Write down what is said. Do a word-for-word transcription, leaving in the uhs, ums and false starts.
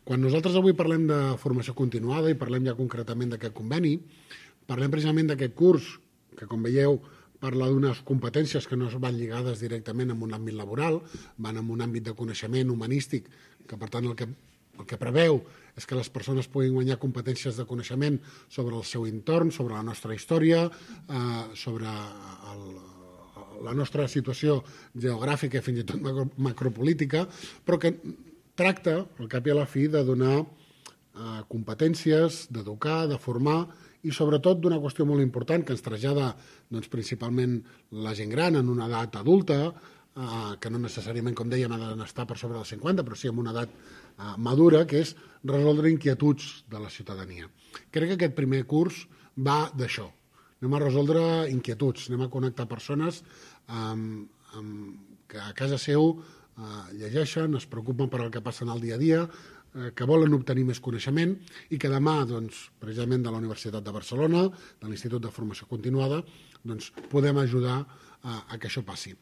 Quan nosaltres avui parlem de formació continuada i parlem ja concretament d'aquest conveni, parlem precisament d'aquest curs, que com veieu parla d'unes competències que no van lligades directament amb un àmbit laboral, van en un àmbit de coneixement humanístic, que per tant el que, el que preveu és que les persones puguin guanyar competències de coneixement sobre el seu entorn, sobre la nostra història, eh, sobre el, la nostra situació geogràfica i fins i tot macropolítica, però que tracta, al cap i a la fi, de donar eh, competències, d'educar, de formar i sobretot d'una qüestió molt important que ens trasllada doncs, principalment la gent gran en una edat adulta, eh, que no necessàriament, com dèiem, ha d'estar per sobre dels cinquanta, però sí en una edat eh, madura, que és resoldre inquietuds de la ciutadania. Crec que aquest primer curs va d'això. Anem a resoldre inquietuds, anem a connectar persones amb, amb, que a casa seu eh, llegeixen, es preocupen per el que passa en el dia a dia, que volen obtenir més coneixement i que demà, doncs, precisament de la Universitat de Barcelona, de l'Institut de Formació Continuada, doncs, podem ajudar a, a que això passi.